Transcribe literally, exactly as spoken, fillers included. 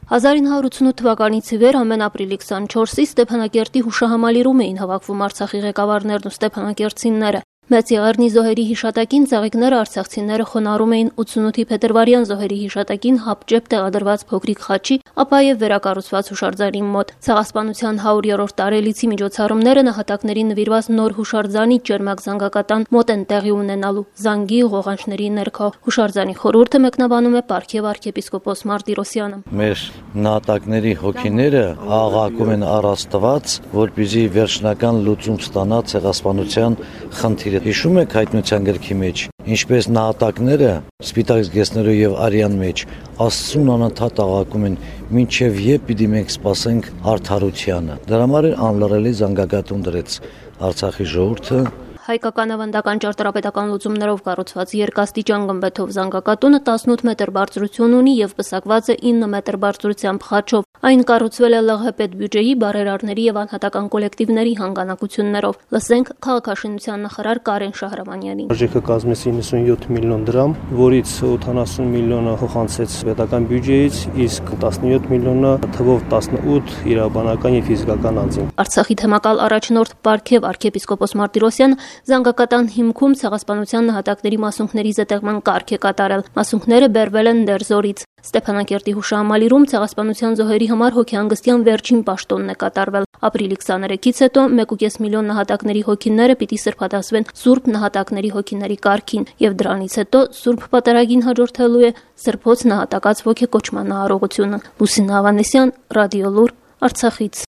հազար ինը հարյուր ութսունութ թվականից ի վեր ամեն ապրիլի քսանչորսի Ստեփանակերտի հուշահամալիրում էին հավաքվում Արցախի ղեկավարներն ու ստեփանակերտցիները։ Մեծ Եղեռնի զոհերի հիշատակին ծաղիկները արցախցիները խոնարհում էին ութսունութի փետրվարյան զոհերի հիշատակին հապճեպ տեղադրված փոքրիկ խաչի, ապա եւ վերակառուցված հուշարձանի մոտ։ Ցեղասպանության հարյուրերորդ տարելիցի միջոցառումները նահատակներին նվիրված նոր հուշարձանի ջերմակ զանգակատան մոտ են տեղի ունենալու զանգի ղողանջների ներքո։ Հուշարձանի խորհուրդը մեկնաբանում է Պարքև arczepiskopos Martirosyan-ը։ Մեր նահատակների հոգիները աղաղակում են առ Աստված, որպեսզի վերջնական լուծում ստանա ցեղասպանության խնդիրը։ Հիշում եք հայտնության գրքի մեջ, ինչպես նահատակները սպիտակ զգեստներով եւ արյան մեջ Աստծուն անընդհատ աղաղակում են, մինչեւ երբ պիտի մենք սպասենք արդարությանը։ Դրա համար անլռելի զանգակատուն դրեց Արցախի ժողովուրդը։ Հայկական ավանդական ճարտարապետական լուծումներով կառուցված երկաստիճան գմբեթով զանգակատունը տասնութ մետր բարձրություն ունի եւ պսակված է ինը մետր բարձրությամբ խաչով։ Այն կառուցվել է ԼՂՀ պետբյուջեի, բարերարների եւ անհատական կոլեկտիվների հանգանակություններով։ Լսենք քաղաքաշինության նախարար Կարեն Շահրամանյանին։ Արժեքը կազմեց իննսունյոթ միլիոն դրամ, որից ութանասուն միլիոնը հոխանցեց պետական բյուջեից, իսկ տասնյոթ միլիոնը թվով տասնութ իրավաբանական եւ ֆիզիկական անձին։ Արցախի թեմակալ առաջնորդ Պարքև arczepiskopos Martirosyan զանգակատան հիմքում ցեղասպանության նահատակների մասունքների զետեղման կարգ է կատարել։ Մասունքները բերվել են Դերձորից։ Ստեփանակերտի հուշահամալիրում ցեղասպանության զոհերի համար հոգեհանգստյան վերջին պաշտոնն է կատարվել։ Ապրիլի քսաներեքից հետո մեկ ու կես միլիոն նահատակների հոգիները պիտի սրբադասվեն Սուրբ նահատակների հոգիների կարգին, եւ դրանից հետո Սուրբ Պատարագին հաջորդելու է Սրբոց նահատակած ոգեկոչման արարողությունը։ Լուսինե Ավանեսյան, Ռադիոլուր, Արցախից։